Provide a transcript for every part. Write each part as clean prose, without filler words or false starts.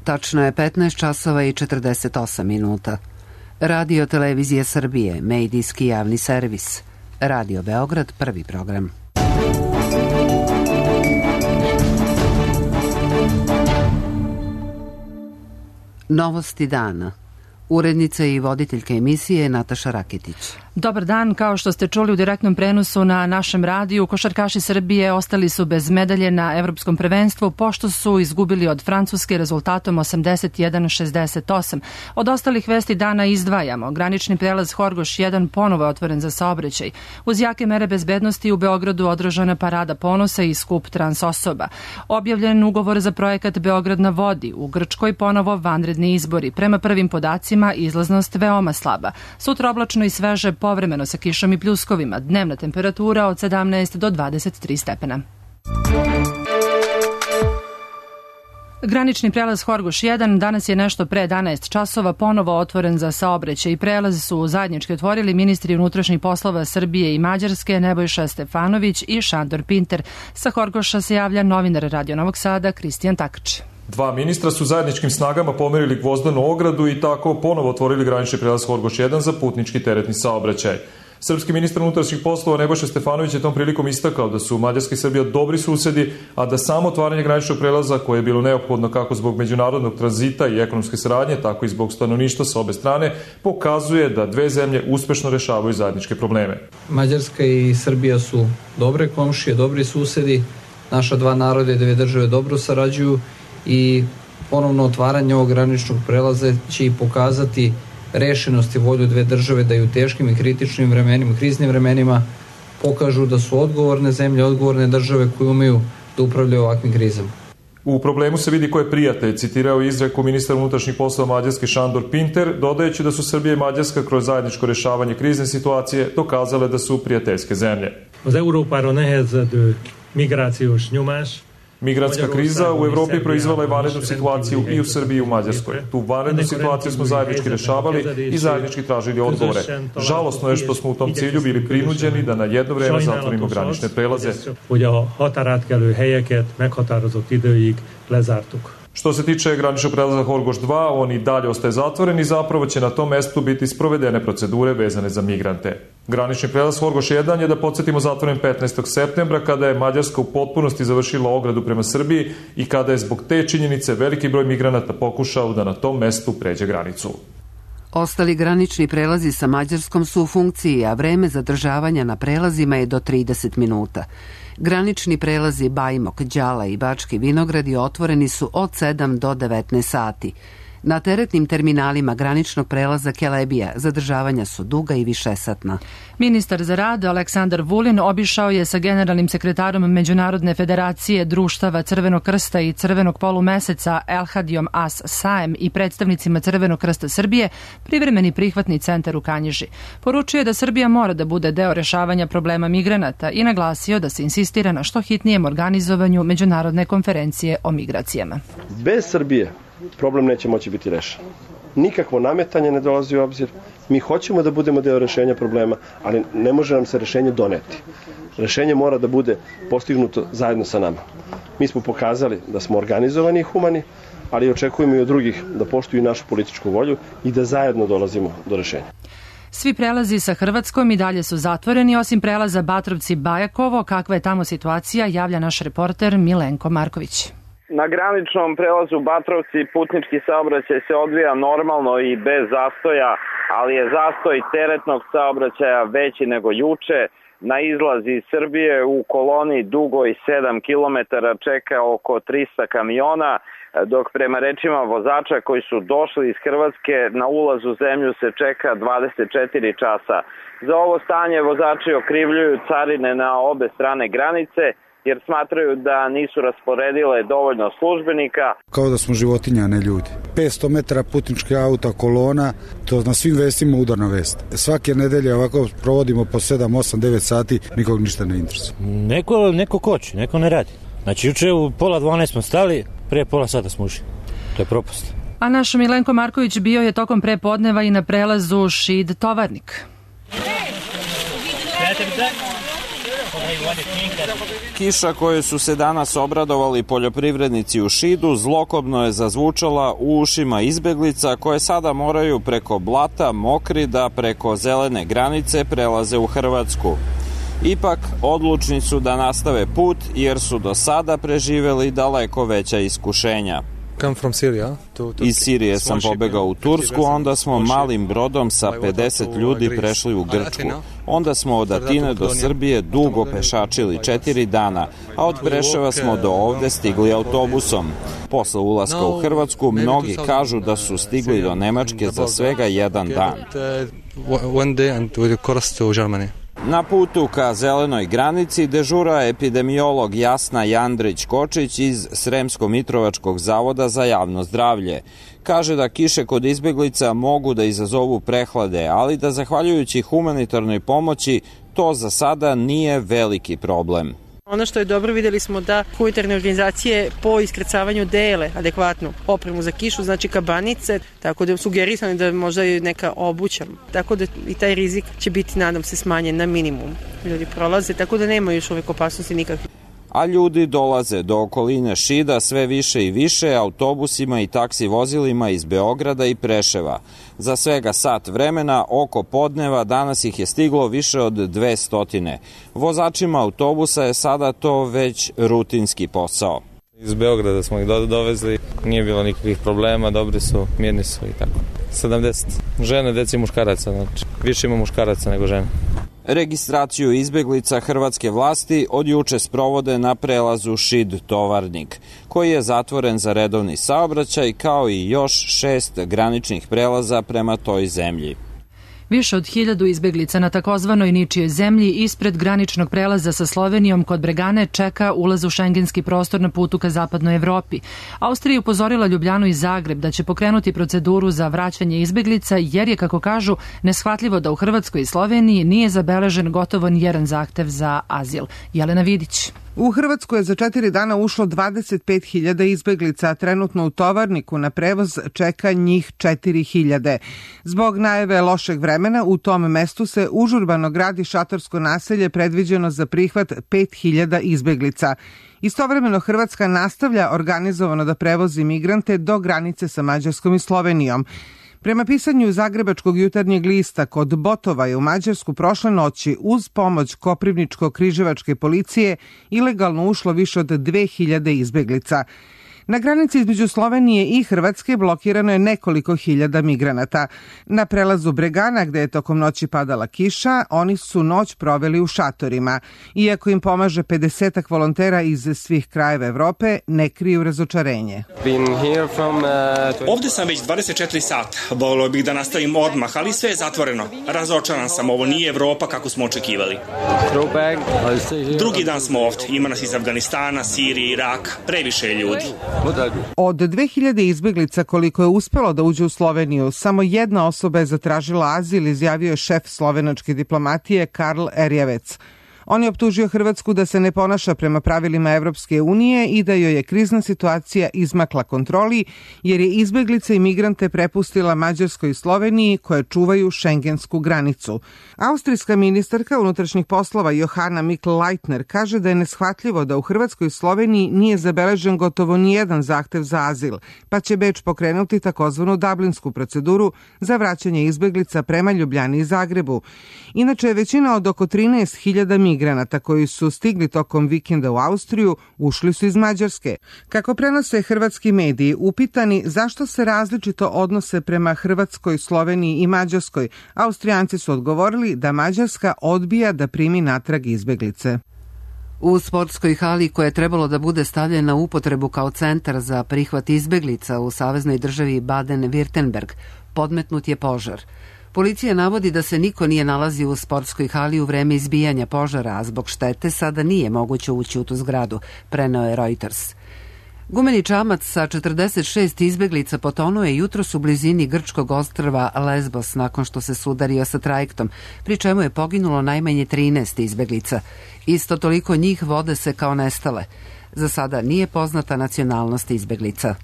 Tačno je 15 časova i 48 minuta. Radio Televizije Srbije, medijski javni servis. Radio Beograd, prvi program. Novosti dana. Urednica i voditeljka emisije Nataša Raketić. Dobar dan, kao što ste čuli u direktnom prenosu na našem radiju, košarkaši Srbije ostali su bez medalje na Evropskom prvenstvu pošto su izgubili od Francuske rezultatom 81-68. Od ostalih vesti dana izdvajamo. Granični prelaz Horgoš 1 ponovo je otvoren za saobraćaj. Uz jake mere bezbednosti u Beogradu održana parada ponosa i skup trans osoba. Objavljen ugovor za projekat Beograd na vodi. U Grčkoj ponovo vanredni izbori. Prema prvim podacima izlaznost veoma slaba. Sutra oblačno i sveže, povremeno sa kišom i pljuskovima. Dnevna temperatura od 17 do 23 stepena. Granični prelaz Horgoš 1 danas je nešto pre 11 časova ponovo otvoren za saobraćaj i prelaz su zajednički otvorili ministri unutrašnjih poslova Srbije i Mađarske Nebojša Stefanović i Šandor Pinter. Sa Horgoša se javlja novinar Radio Novog Sada Kristijan Takač. Dva ministra su zajedničkim snagama pomerili gvozdenu ogradu i tako ponovo otvorili granični prelaz Horgoš 1 za putnički teretni saobraćaj. Srpski ministar unutrašnjih poslova Nebojša Stefanović je tom prilikom istakao da su Mađarska i Srbija dobri susedi, a da samo otvaranje graničnog prelaza, koje je bilo neophodno kako zbog međunarodnog tranzita i ekonomske saradnje, tako i zbog stanovništva sa obe strane, pokazuje da dve zemlje uspešno rešavaju zajedničke probleme. Mađarska i Srbija su dobre komšije, dobri susedi, naša dva naroda i dve države dobro sarađuju i ponovno otvaranje ovog graničnog prelaza će i pokazati rešenost i volju dve države da i u teškim i kritičnim vremenima, kriznim vremenima pokažu da su odgovorne zemlje, odgovorne države koje umeju da upravljaju ovakvim krizama. U problemu se vidi ko je prijatelj, citirao izreku ministar unutrašnjih poslova Mađarske Šandor Pinter, dodajući da su Srbija i Mađarska kroz zajedničko rešavanje krizne situacije dokazale da su prijateljske zemlje. Az Európára nehezedő migrációs nyomás. Migrantska kriza u Evropi proizvala je vanrednu situaciju i u Srbiji i u Mađarskoj. Tu vanrednu situaciju smo zajednički rešavali i zajednički tražili odgovore. Žalosno je što smo u tom cilju bili prinuđeni da na jedno vreme zatvorimo granične prelaze. Što se tiče graničnog prelaza Horgoš 2, on i dalje ostaje zatvoren i zapravo će na tom mestu biti sprovedene procedure vezane za migrante. Granični prelaz Horgoš 1 je, da podsjetimo, zatvoren 15. septembra kada je Mađarska u potpunosti završila ogradu prema Srbiji i kada je zbog te činjenice veliki broj migranata pokušao da na tom mestu pređe granicu. Ostali granični prelazi sa Mađarskom su u funkciji, a vreme zadržavanja na prelazima je do 30 minuta. Granični prelazi Bajmok, Đala i Bački Vinogradi otvoreni su od 7 do 19 sati. Na teretnim terminalima graničnog prelaza Kelebija zadržavanja su duga i višesatna. Ministar za rad Aleksandar Vulin obišao je sa generalnim sekretarom Međunarodne federacije društava Crvenog krsta i Crvenog polumeseca Elhadijom As Saem i predstavnicima Crvenog krsta Srbije privremeni prihvatni centar u Kanjiži. Poručio je da Srbija mora da bude deo rešavanja problema migranata i naglasio da se insistira na što hitnijem organizovanju međunarodne konferencije o migracijama. Bez Srbije problem neće moći biti rešen. Nikakvo nametanje ne dolazi u obzir. Mi hoćemo da budemo deo rešenja problema, ali ne može nam se rešenje doneti. Rešenje mora da bude postignuto zajedno sa nama. Mi smo pokazali da smo organizovani i humani, ali očekujemo i od drugih da poštuju našu političku volju i da zajedno dolazimo do rešenja. Svi prelazi sa Hrvatskom i dalje su zatvoreni, osim prelaza Batrovci-Bajakovo. Kakva je tamo situacija, javlja naš reporter Milenko Marković. Na graničnom prelazu Batrovci putnički saobraćaj se odvija normalno i bez zastoja, ali je zastoj teretnog saobraćaja veći nego juče. Na izlaz iz Srbije u koloni dugoj 7 km čeka oko 300 kamiona, dok prema rečima vozača koji su došli iz Hrvatske na ulaz u zemlju se čeka 24 časa. Za ovo stanje vozači okrivljuju carine na obe strane granice, jer smatraju da nisu rasporedile dovoljno službenika. Kao da smo životinja, a ne ljudi. 500 metara putničkih auta, kolona, to na svim vestima udarna vest. Svake nedelje ovako provodimo po 7, 8, 9 sati, nikog ništa ne interesuje. Neko koči, neko ne radi. Znači, juče u 11:30 smo stali, prije pola sata smo ušli. To je propast. A naš Milenko Marković bio je tokom prepodneva i na prelazu Šid Tovarnik. Kiša koju su se danas obradovali poljoprivrednici u Šidu zlokobno je zazvučala u ušima izbeglica koje sada moraju preko blata mokri da preko zelene granice prelaze u Hrvatsku. Ipak, odlučni su da nastave put jer su do sada preživeli daleko veća iskušenja. Iz Sirije sam pobegao u Tursku, onda smo malim brodom sa 50 ljudi prešli u Grčku. Onda smo od Atine do Srbije dugo pešačili 4 dana, a od Preševa smo do ovde stigli autobusom. Posle ulaska u Hrvatsku, mnogi kažu da su stigli do Nemačke za svega jedan dan. Na putu ka zelenoj granici dežura epidemiolog Jasna Jandrić-Kočić iz Sremsko-Mitrovačkog zavoda za javno zdravlje. Kaže da kiše kod izbeglica mogu da izazovu prehlade, ali da zahvaljujući humanitarnoj pomoći to za sada nije veliki problem. Ono što je dobro, videli smo da humanitarne organizacije po iskrcavanju dele adekvatnu opremu za kišu, znači kabanice, tako da je sugerisano da možda je neka obuća. Tako da i taj rizik će biti, nadam se, smanjen na minimum. Ljudi prolaze, tako da nema još uvek opasnosti nikakve. A ljudi dolaze do okoline Šida sve više i više autobusima i taksi vozilima iz Beograda i Preševa. Za svega sat vremena, oko podneva, danas ih je stiglo više od 200. Vozačima autobusa je sada to već rutinski posao. Iz Beograda smo ih dovezli, nije bilo nikakvih problema, dobri su, mirni su i tako. 70. Žene, deci i muškaraca, znači više ima muškaraca nego žene. Registraciju izbeglica hrvatske vlasti od juče sprovode na prelazu Šid-Tovarnik, koji je zatvoren za redovni saobraćaj, kao i još 6 graničnih prelaza prema toj zemlji. Više od 1000 izbeglica na takozvanoj ničijoj zemlji ispred graničnog prelaza sa Slovenijom kod Bregane čeka ulaz u šengenski prostor na putu ka zapadnoj Evropi. Austrija je upozorila Ljubljanu i Zagreb da će pokrenuti proceduru za vraćanje izbeglica jer je, kako kažu, neshvatljivo da u Hrvatskoj i Sloveniji nije zabeležen gotovo nijedan zahtev za azil. Jelena Vidić. U Hrvatsku je za 4 dana ušlo 25.000 izbeglica, a trenutno u Tovarniku na prevoz čeka njih 4.000. Zbog najave lošeg vremena u tom mestu se užurbano gradi šatorsko naselje predviđeno za prihvat 5.000 izbeglica. Istovremeno Hrvatska nastavlja organizovano da prevozi migrante do granice sa Mađarskom i Slovenijom. Prema pisanju Zagrebačkog jutarnjeg lista, kod Botova je u Mađarsku prošle noći uz pomoć Koprivničko-križevačke policije ilegalno ušlo više od 2000 izbeglica. Na granici između Slovenije i Hrvatske blokirano je nekoliko hiljada migranata. Na prelazu Bregana, gde je tokom noći padala kiša, oni su noć proveli u šatorima. Iako im pomaže 50 volontera iz svih krajeva Evrope, ne kriju razočarenje. Ovde sam već 24 sata. Volio bih da nastavim odmah, ali sve je zatvoreno. Razočaran sam, ovo nije Evropa kako smo očekivali. Drugi dan smo ovde. Ima nas iz Afganistana, Sirije, Iraka. Previše je ljudi. Od 2000 izbeglica koliko je uspelo da uđe u Sloveniju, samo jedna osoba je zatražila azil, izjavio je šef slovenačke diplomatije Karl Erjavec. On je optužio Hrvatsku da se ne ponaša prema pravilima Evropske unije i da joj je krizna situacija izmakla kontroli, jer je izbeglice i migrante prepustila Mađarskoj i Sloveniji koje čuvaju šengensku granicu. Austrijska ministarka unutrašnjih poslova Johanna Mikl-Leitner kaže da je neshvatljivo da u Hrvatskoj i Sloveniji nije zabeležen gotovo nijedan zahtev za azil, pa će Beč pokrenuti takozvanu dublinsku proceduru za vraćanje izbeglica prema Ljubljani i Zagrebu. Inače, većina od oko 13.000 migranata koji su stigli tokom vikenda u Austriju ušli su iz Mađarske. Kako prenose hrvatski mediji, upitani zašto se različito odnose prema Hrvatskoj, Sloveniji i Mađarskoj, Austrijanci su odgovorili da Mađarska odbija da primi natrag izbeglice. U sportskoj hali koja je trebalo da bude stavljena u upotrebu kao centar za prihvat izbeglica u saveznoj državi Baden-Württemberg podmetnut je požar. Policija navodi da se niko nije nalazio u sportskoj hali u vreme izbijanja požara, a zbog štete sada nije moguće ući u tu zgradu, preneo je Reuters. Gumeni čamac sa 46 izbeglica potonuo je jutros u blizini grčkog ostrva Lesbos nakon što se sudario sa trajektom, pri čemu je poginulo najmanje 13 izbeglica. Isto toliko njih vode se kao nestale. Za sada nije poznata nacionalnost izbeglica.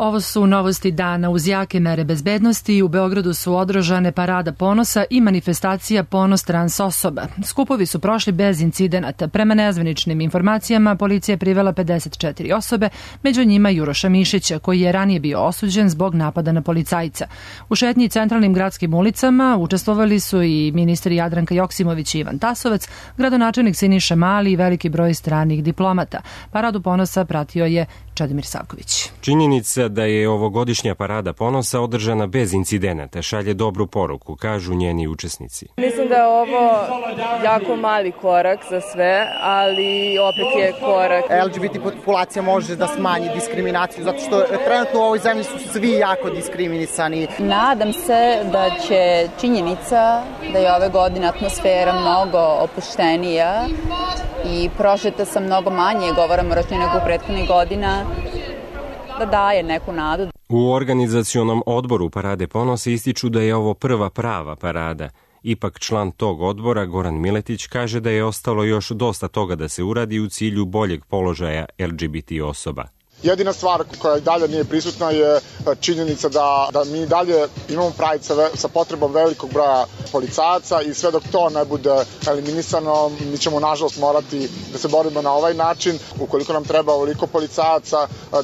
Ovo su novosti dana. Uz jake mere bezbednosti u Beogradu su održane parada ponosa i manifestacija Ponos trans osoba. Skupovi su prošli bez incidenata. Prema nezvaničnim informacijama, policija je privela 54 osobe, među njima Juroša Mišića, koji je ranije bio osuđen zbog napada na policajca. U šetnji centralnim gradskim ulicama učestvovali su i ministri Jadranka Joksimović i Ivan Tasovac, gradonačelnik Siniša Mali i veliki broj stranih diplomata. Paradu ponosa pratio je Čedomir Savković. Činjenica da je ovogodišnja parada ponosa održana bez incidenata šalje dobru poruku, kažu njeni učesnici. Mislim da je ovo jako mali korak za sve, ali opet je korak. LGBT populacija može da smanji diskriminaciju, zato što trenutno u ovoj zemlji su svi jako diskriminisani. Nadam se da će činjenica da je ove godine atmosfera mnogo opuštenija i prožeta sa mnogo manje govora mržnje nego u prethodnih godina, da daje neku nadu. U organizacionom odboru Parade ponosa ističu da je ovo prva prava parada. Ipak član tog odbora, Goran Miletić, kaže da je ostalo još dosta toga da se uradi u cilju boljeg položaja LGBT osoba. Jedina stvar koja dalje nije prisutna je činjenica da mi dalje imamo Pride sa potrebom velikog broja policajaca i sve dok to ne bude eliminisano, mi ćemo nažalost morati da se borimo na ovaj način. Ukoliko nam treba ovoliko policajaca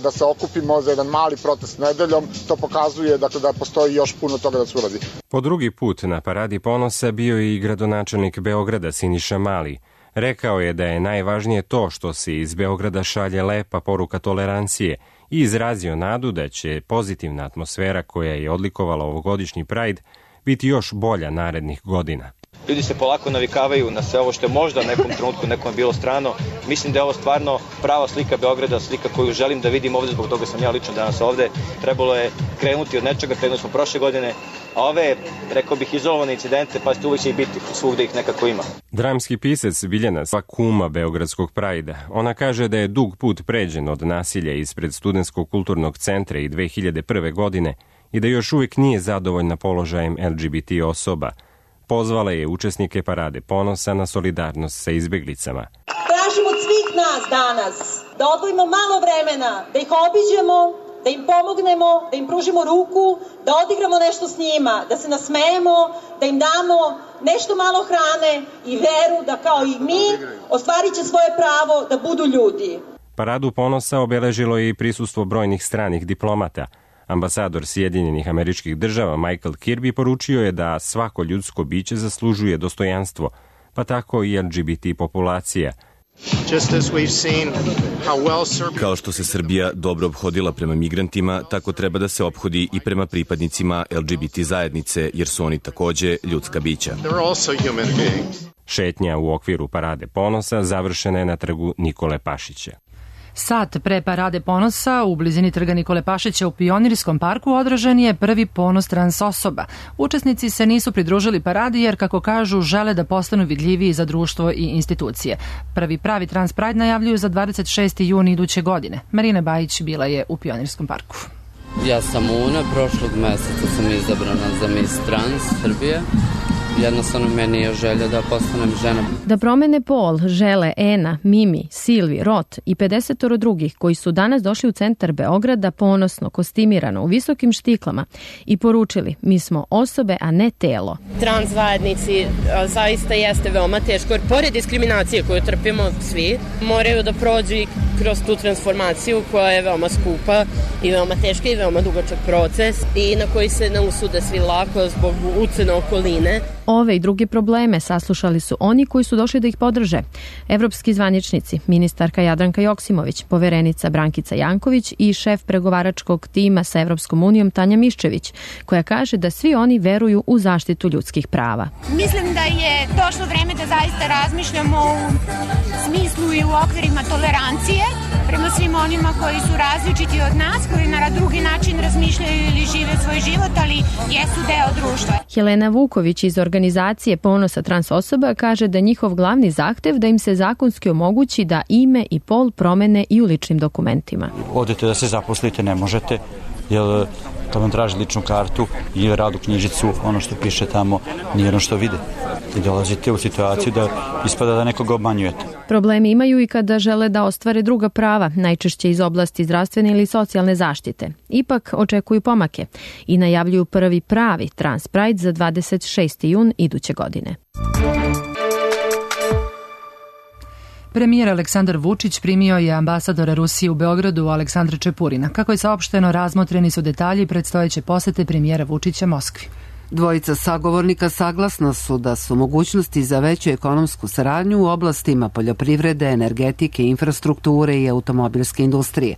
da se okupimo za jedan mali protest nedeljom, to pokazuje da postoji još puno toga da se uradi. Po drugi put na Paradi ponosa bio je i gradonačelnik Beograda Siniša Mali. Rekao je da je najvažnije to što se iz Beograda šalje lepa poruka tolerancije i izrazio nadu da će pozitivna atmosfera koja je odlikovala ovogodišnji Pride biti još bolja narednih godina. Ljudi se polako navikavaju na sve ovo što je možda u nekom trenutku nekom bilo strano. Mislim da je ovo stvarno prava slika Beograda, slika koju želim da vidim ovde, zbog toga sam ja lično danas ovde. Trebalo je krenuti od nečega, krenuli smo prošle godine, a ove, rekao bih, izolovane incidente, pa uvijek će i biti, svugde ih nekako ima. Dramski pisac Biljana kuma Beogradskog Prajda. Ona kaže da je dug put pređen od nasilja ispred Studentskog kulturnog centra i 2001. godine i da još uvijek nije zadovoljna položajem LGBT osoba. Pozvala je učesnike Parade ponosa na solidarnost sa izbeglicama. Tražim od svih nas danas da odvojimo malo vremena, da ih obiđemo, da im pomognemo, da im pružimo ruku, da odigramo nešto s njima, da se nasmejemo, da im damo nešto malo hrane i veru da kao i mi ostvarit će svoje pravo da budu ljudi. Paradu ponosa obeležilo je i prisustvo brojnih stranih diplomata. Ambasador Sjedinjenih Američkih Država Michael Kirby poručio je da svako ljudsko biće zaslužuje dostojanstvo, pa tako i LGBT populacija. Kao što se Srbija dobro ophodila prema migrantima, tako treba da se ophodi i prema pripadnicima LGBT zajednice, jer su oni takođe ljudska bića. Šetnja u okviru Parade ponosa završena je na trgu Nikole Pašića. Sat pre Parade ponosa u blizini trga Nikole Pašića u Pionirskom parku održan je prvi ponos trans osoba. Učesnici se nisu pridružili paradi jer, kako kažu, žele da postanu vidljiviji za društvo i institucije. Prvi pravi Trans Pride najavljuju za 26. juni iduće godine. Marina Bajić bila je u Pionirskom parku. Ja sam Una, prošlog meseca sam izabrana za Miss Trans Srbije. Jednostavno meni je želja da postanem žena. Da promene pol žele Ena, Mimi, Silvi, Rot i 50 drugih koji su danas došli u centar Beograda ponosno, kostimirano, u visokim štiklama i poručili: mi smo osobe, a ne telo. Trans zajednici zaista jeste veoma teško, jer pored diskriminacije koju trpimo svi, moraju da prođu i kroz tu transformaciju koja je veoma skupa i veoma teška i veoma dugačak proces i na koji se ne usude svi lako zbog ucene okoline. Ove i druge probleme saslušali su oni koji su došli da ih podrže. Evropski zvaničnici, ministarka Jadranka Joksimović, poverenica Brankica Janković i šef pregovaračkog tima sa Evropskom unijom Tanja Miščević, koja kaže da svi oni veruju u zaštitu ljudskih prava. Mislim da je došlo vreme da zaista razmišljamo u smislu i u okvirima tolerancije prema svim onima koji su različiti od nas, koji na drugi način razmišljaju ili žive svoj život, ali jesu deo društva. Helena Vuković iz organizacije Ponosa trans osoba kaže da njihov glavni zahtev da im se zakonski omogući da ime i pol promene i u ličnim dokumentima. Odete da se zaposlite, ne možete, jer kad vam traži ličnu kartu ili radu knjižicu, ono što piše tamo nije ono što vide. I dolazite u situaciju da ispada da nekoga obmanjujete. Problemi imaju i kada žele da ostvare druga prava, najčešće iz oblasti zdravstvene ili socijalne zaštite. Ipak očekuju pomake i najavljuju prvi pravi Trans Pride za 26. jun iduće godine. Premijer Aleksandar Vučić primio je ambasadora Rusije u Beogradu Aleksandra Čepurina. Kako je saopšteno, razmotreni su detalji predstojeće posete premijera Vučića Moskvi. Dvojica sagovornika saglasna su da su mogućnosti za veću ekonomsku saradnju u oblastima poljoprivrede, energetike, infrastrukture i automobilske industrije.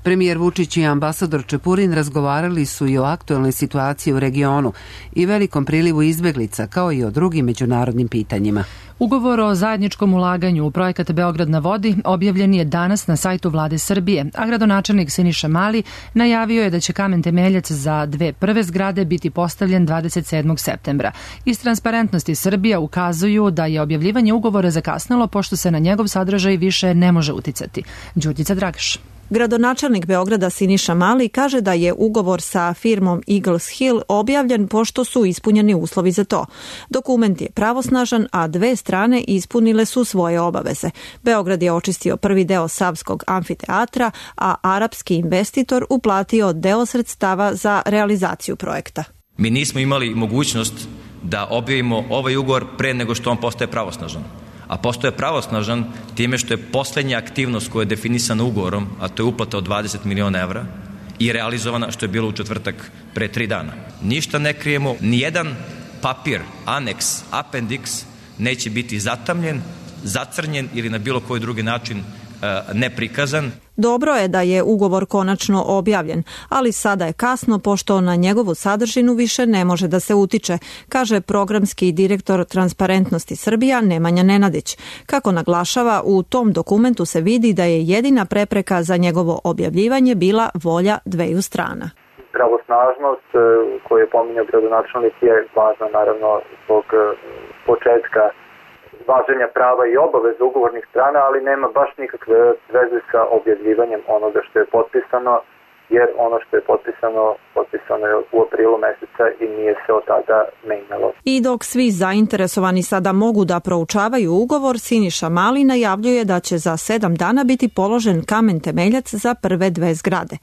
Premijer Vučić i ambasador Čepurin razgovarali su i o aktuelnoj situaciji u regionu i velikom prilivu izbeglica, kao i o drugim međunarodnim pitanjima. Ugovor o zajedničkom ulaganju u projekat Beograd na vodi objavljen je danas na sajtu Vlade Srbije, a gradonačelnik Siniša Mali najavio je da će kamen temeljac za 2 prve zgrade biti postavljen 27. septembra. Iz Transparentnosti Srbija ukazuju da je objavljivanje ugovora zakasnilo pošto se na njegov sadržaj više ne može uticati. Đurđica Dragaš. Gradonačelnik Beograda Siniša Mali kaže da je ugovor sa firmom Eagles Hill objavljen pošto su ispunjeni uslovi za to. Dokument je pravosnažan, a 2 strane ispunile su svoje obaveze. Beograd je očistio prvi deo Savskog amfiteatra, a arapski investitor uplatio deo sredstava za realizaciju projekta. Mi nismo imali mogućnost da objavimo ovaj ugovor pre nego što on postaje pravosnažan. A postoje pravosnažan time što je poslednja aktivnost koja je definisana ugovorom, a to je uplata od 20 miliona evra, i realizovana što je bilo u četvrtak pre 3 dana. Ništa ne krijemo, nijedan papir, aneks, appendix neće biti zatamljen, zacrnjen ili na bilo koji drugi način neprikazan. Dobro je da je ugovor konačno objavljen, ali sada je kasno pošto na njegovu sadržinu više ne može da se utiče, kaže programski direktor Transparentnosti Srbija Nemanja Nenadić. Kako naglašava, u tom dokumentu se vidi da je jedina prepreka za njegovo objavljivanje bila volja 2 strana. Pravosnažnost koju je pominjao gradonačelnik je važna naravno zbog početka važenja prava i obaveza ugovornih strana, ali nema baš nikakve veze sa objavljivanjem onoga što je potpisano, jer ono što je potpisano je u aprilu meseca i nije se od tada menjalo. I dok svi zainteresovani sada mogu da proučavaju ugovor, Siniša Mali najavljuje da će za 7 dana biti položen kamen temeljac za prve 2 zgrade.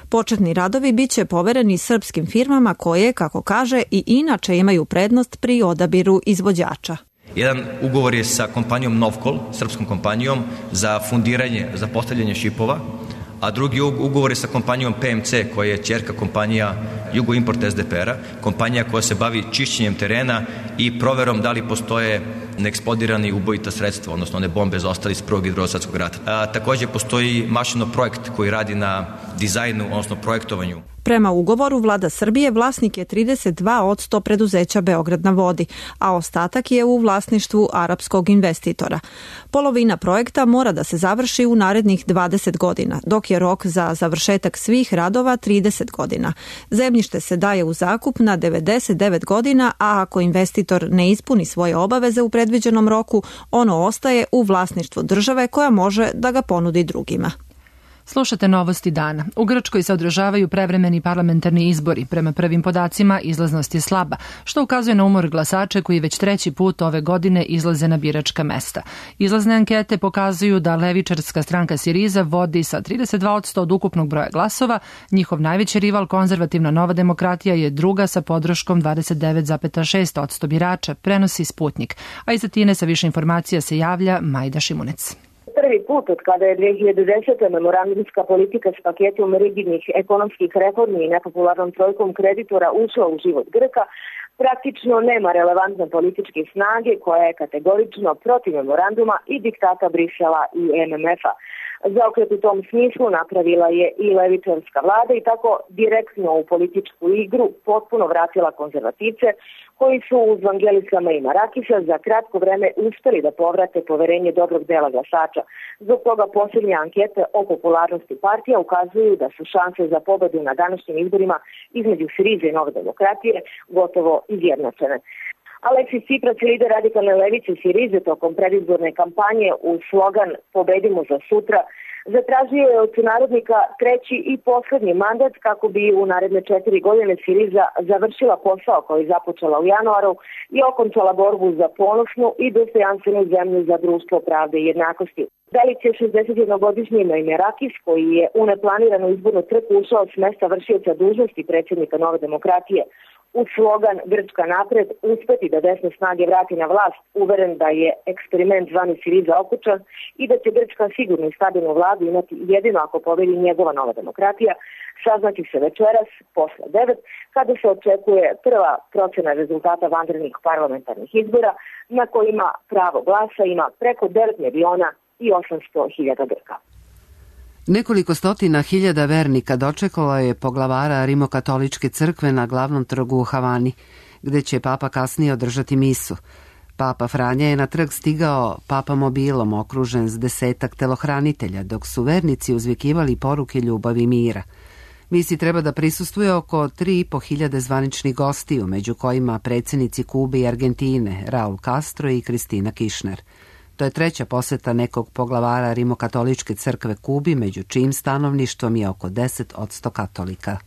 Početni radovi biće povereni srpskim firmama koje, kako kaže, i inače imaju prednost pri odabiru izvođača. Jedan ugovor je sa kompanijom Novkol, srpskom kompanijom, za fundiranje, za postavljanje šipova, a drugi ugovor je sa kompanijom PMC, koja je ćerka kompanija Jugoimport SDPR-a, kompanija koja se bavi čišćenjem terena i proverom da li postoje neeksplodirani ubojita sredstva, odnosno one bombe zaostali iz Prvog i Drugog svjetskog rata. Takođe postoji mašino projekt koji radi na dizajnu, odnosno projektovanju. Prema ugovoru, Vlada Srbije vlasnik je 32% preduzeća Beograd na vodi, a ostatak je u vlasništvu arapskog investitora. Polovina projekta mora da se završi u narednih 20 godina, dok je rok za završetak svih radova 30 godina. Zemljište se daje u zakup na 99 godina, a ako investitor ne ispuni svoje obaveze u predviđenom roku, ono ostaje u vlasništvu države koja može da ga ponudi drugima. Slušate novosti dana. U Grčkoj se održavaju prevremeni parlamentarni izbori. Prema prvim podacima izlaznost je slaba, što ukazuje na umor glasača koji već 3. put ove godine izlaze na biračka mesta. Izlazne ankete pokazuju da levičarska stranka Siriza vodi sa 32% od ukupnog broja glasova. Njihov najveći rival, konzervativna Nova demokratija, je druga sa podrškom 29,6% birača, prenosi Sputnik. A iz Atine sa više informacija se javlja Majda Šimunec. Prvi put od kada je 2010. memorandumska politika s paketom rigidnih ekonomskih reformi i nepopularnom trojkom kreditora ušla u život Grka, praktično nema relevantne političke snage koja je kategorično protiv memoranduma i diktata Brisela i MMF-a. Zaokret u tom smislu napravila je i levičarska vlada i tako direktno u političku igru potpuno vratila konzervativce koji su uz Vangelisama i Marakisa za kratko vreme uspeli da povrate poverenje dobrog dela glasača. Zbog toga posljednje ankete o popularnosti partija ukazuju da su šanse za pobedu na današnjim izborima između Sirize i Nove demokratije gotovo izjednačene. Aleksis Tsipras, lider radikalne levice Sirize, tokom predizborne kampanje u slogan "Pobedimo za sutra" Zatražio je od sunarodnika treći i poslednji mandat kako bi u naredne 4 godine Siriza završila posao koji započela u januaru i okončala borbu za ponosnu i dostojanstvenu zemlju za društvo pravde i jednakosti. Delić je 61-godišnji Meimerakis koji je u neplaniranu izbornu trku ušao s mesta vršioca dužnosti predsjednika Nove demokratije. Uz slogan Grčka napred uspeti da desne snage vrati na vlast, uveren da je eksperiment zvani Siriza okučan i da će Grčka sigurno i stabilnu vladu imati jedino ako pobedi njegova Nova demokratija, saznaći se večeras posle 9, kada se očekuje prva procena rezultata vanrednih parlamentarnih izbora na kojima pravo glasa ima preko 9.800.000 Grka. Nekoliko stotina hiljada vernika dočekalo je poglavara Rimokatoličke crkve na glavnom trgu u Havani, gde će papa kasnije održati misu. Papa Franja je na trg stigao papamobilom okružen s 10-ak telohranitelja, dok su vernici uzvikivali poruke ljubavi i mira. Misi treba da prisustvuje oko 3.500 zvaničnih gostiju, među kojima predsjednici Kube i Argentine, Raul Castro i Kristina Kirchner. To je treća poseta nekog poglavara Rimokatoličke crkve Kubi, među čijim stanovništvom je oko 10% katolika.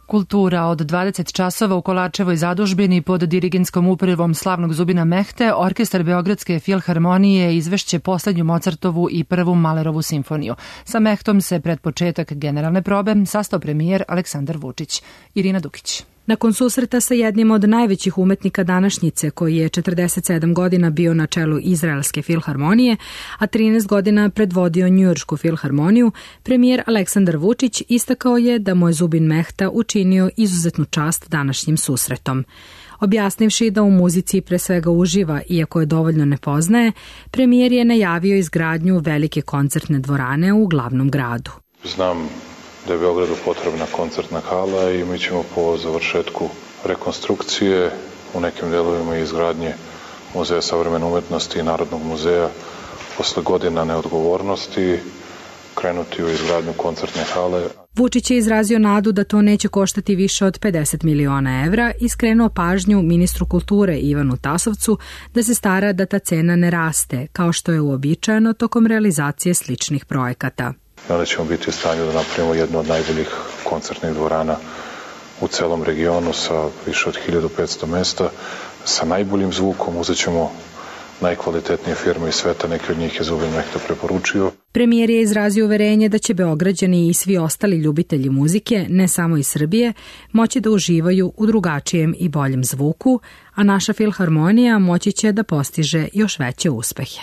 Kultura od 20 časova u Kolačevoj zadužbini pod dirigentskom upravom slavnog Zubina Mehte, orkestar Beogradske filharmonije izvešće poslednju Mozartovu i prvu Mahlerovu simfoniju. Sa Mehtom se pred početak generalne probe sastao premijer Aleksandar Vučić. Irina Dukić. Nakon susreta sa jednim od najvećih umetnika današnjice, koji je 47 godina bio na čelu Izraelske filharmonije, a 13 godina predvodio Njujoršku filharmoniju, premijer Aleksandar Vučić istakao je da mu je Zubin Mehta učinio izuzetnu čast današnjim susretom. Objasnivši da u muzici pre svega uživa, iako je dovoljno ne poznaje, premijer je najavio izgradnju velike koncertne dvorane u glavnom gradu. Znam da je Beogradu potrebna koncertna hala i mi ćemo po završetku rekonstrukcije u nekim delovima izgradnje Muzeja savremene umetnosti i Narodnog muzeja posle godina neodgovornosti krenuti u izgradnju koncertne hale. Vučić je izrazio nadu da to neće koštati više od 50 miliona evra i skrenuo pažnju ministru kulture Ivanu Tasovcu da se stara da ta cena ne raste, kao što je uobičajeno tokom realizacije sličnih projekata. I onda ćemo biti u stanju da napravimo jednu od najboljih koncertnih dvorana u celom regionu sa više od 1500 mesta, sa najboljim zvukom. Uzet ćemo najkvalitetnije firme iz sveta, neki od njih je Zubin Mehta preporučio. Premijer je izrazio uverenje da će Beograđani i svi ostali ljubitelji muzike, ne samo iz Srbije, moći da uživaju u drugačijem i boljem zvuku, a naša filharmonija moći će da postiže još veće uspehe.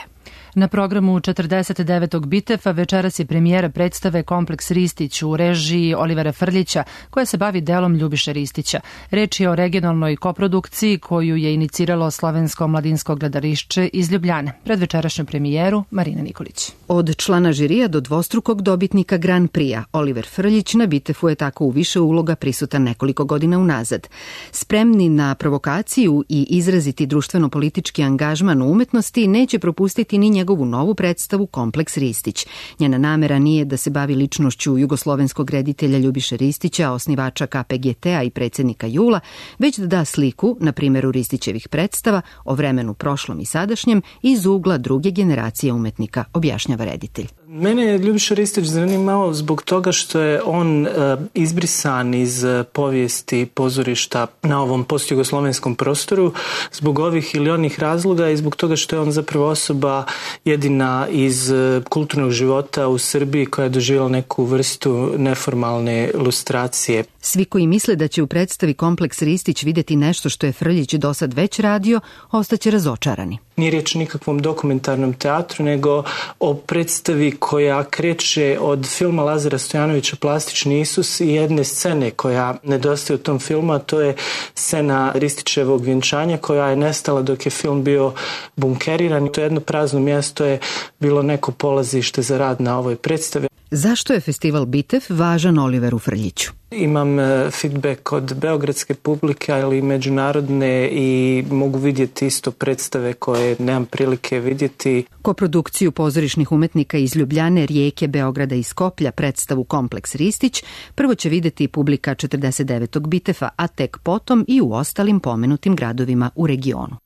Na programu 49. Bitefa večeras je premijera predstave Kompleks Ristić u režiji Olivera Frljića, koja se bavi delom Ljubiše Ristića. Reč je o regionalnoj koprodukciji koju je iniciralo Slovensko mladinsko gledališće iz Ljubljane. Pred večerašnju premijeru Marina Nikolić. Od člana žirija do dvostrukog dobitnika Grand Prix-a, Oliver Frljić na Bitefu je tako u više uloga prisutan nekoliko godina unazad. Spremni na provokaciju i izraziti društveno-politički angažman u umetnosti neće propustiti ni njegovu novu predstavu Kompleks Ristić. Njena namera nije da se bavi ličnošću jugoslovenskog reditelja Ljubiše Ristića, osnivača KPGT-a i predsjednika JUL-a, već da da sliku, na primjeru Ristićevih predstava, o vremenu prošlom i sadašnjem iz ugla druge generacije umetnika, objašnjava reditelj. Mene je Ljubiša Ristić zanimao zbog toga što je on izbrisan iz povijesti pozorišta na ovom postjugoslovenskom prostoru zbog ovih ili onih razloga i zbog toga što je on zapravo osoba jedina iz kulturnog života u Srbiji koja je doživjela neku vrstu neformalne lustracije. Svi koji misle da će u predstavi Kompleks Ristić vidjeti nešto što je Frljić do sad već radio, ostaće razočarani. Nije riječ o nikakvom dokumentarnom teatru, nego o predstavi koja kreće od filma Lazara Stojanovića Plastični Isus i jedne scene koja nedostaje u tom filmu, a to je scena Ristićevog vjenčanja koja je nestala dok je film bio bunkeriran. To jedno prazno mjesto je bilo neko polazište za rad na ovoj predstavi. Zašto je festival Bitef važan Oliveru Frljiću? Imam feedback od beogradske publike, ali i međunarodne i mogu vidjeti isto predstave koje nemam prilike vidjeti. Koprodukciju pozorišnih umetnika iz Ljubljane, Rijeke, Beograda i Skoplja, predstavu Kompleks Ristić, prvo će vidjeti publika 49. Bitefa, a tek potom i u ostalim pomenutim gradovima u regionu.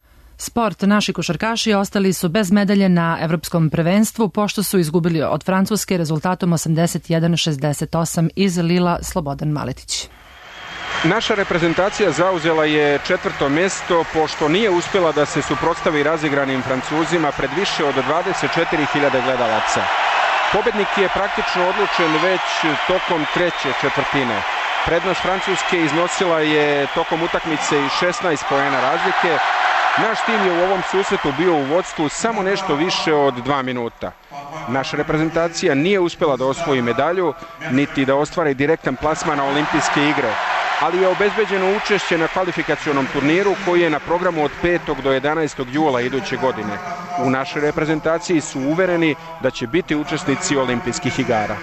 Sport. Naši košarkaši ostali su bez medalje na evropskom prvenstvu pošto su izgubili od Francuske rezultatom 81-68 iz Lila. Slobodan Maletić. Naša reprezentacija zauzela je 4. mesto pošto nije uspjela da se suprotstavi razigranim Francuzima pred više od 24.000 gledalaca. Pobednik je praktično odlučen već tokom treće četvrtine. Prednost Francuske iznosila je tokom utakmice i 16 poena razlike. Naš tim je u ovom susretu bio u vodstvu samo nešto više od 2 minuta. Naša reprezentacija nije uspjela da osvoji medalju, niti da ostvari direktan plasman na olimpijske igre, ali je obezbeđeno učešće na kvalifikacionom turniru koji je na programu od 5. do 11. jula iduće godine. U našoj reprezentaciji su uvereni da će biti učesnici olimpijskih igara.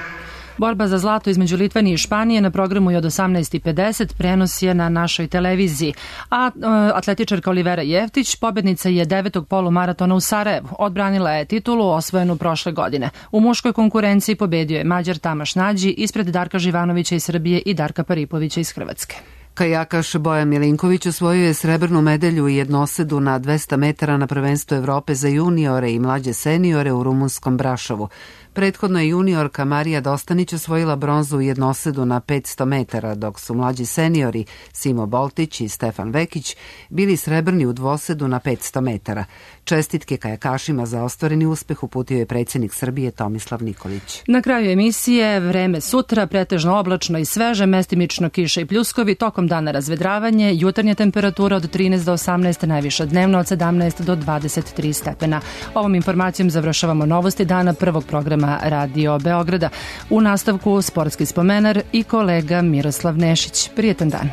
Borba za zlato između Litvanije i Španije na programu je od 18:50, prenos je na našoj televiziji. A atletičarka Olivera Jeftić, pobednica je 9. polumaratona u Sarajevu. Odbranila je titulu osvojenu prošle godine. U muškoj konkurenciji pobedio je Mađar Tamaš Nađi ispred Darka Živanovića iz Srbije i Darka Paripovića iz Hrvatske. Kajakaš Bojan Milinković osvojio je srebrnu medalju u jednosedu na 200 metara na prvenstvu Evrope za juniore i mlađe seniore u rumunskom Brašovu. Prethodno je juniorka Marija Dostanić osvojila bronzu u jednosedu na 500 metara, dok su mlađi seniori Simo Boltić i Stefan Vekić bili srebrni u dvosedu na 500 metara. Čestitke kajakašima za ostvareni uspeh uputio je predsjednik Srbije Tomislav Nikolić. Na kraju emisije vreme sutra, pretežno oblačno i sveže, mestimično kiša i pljuskovi, tokom dana razvedravanje, jutarnja temperatura od 13 do 18, najviša dnevno od 17 do 23 stepena. Ovom informacijom završavamo novosti dana prvog programa Radio Beograda. U nastavku sportski spomenar i kolega Miroslav Nešić. Prijetan dan.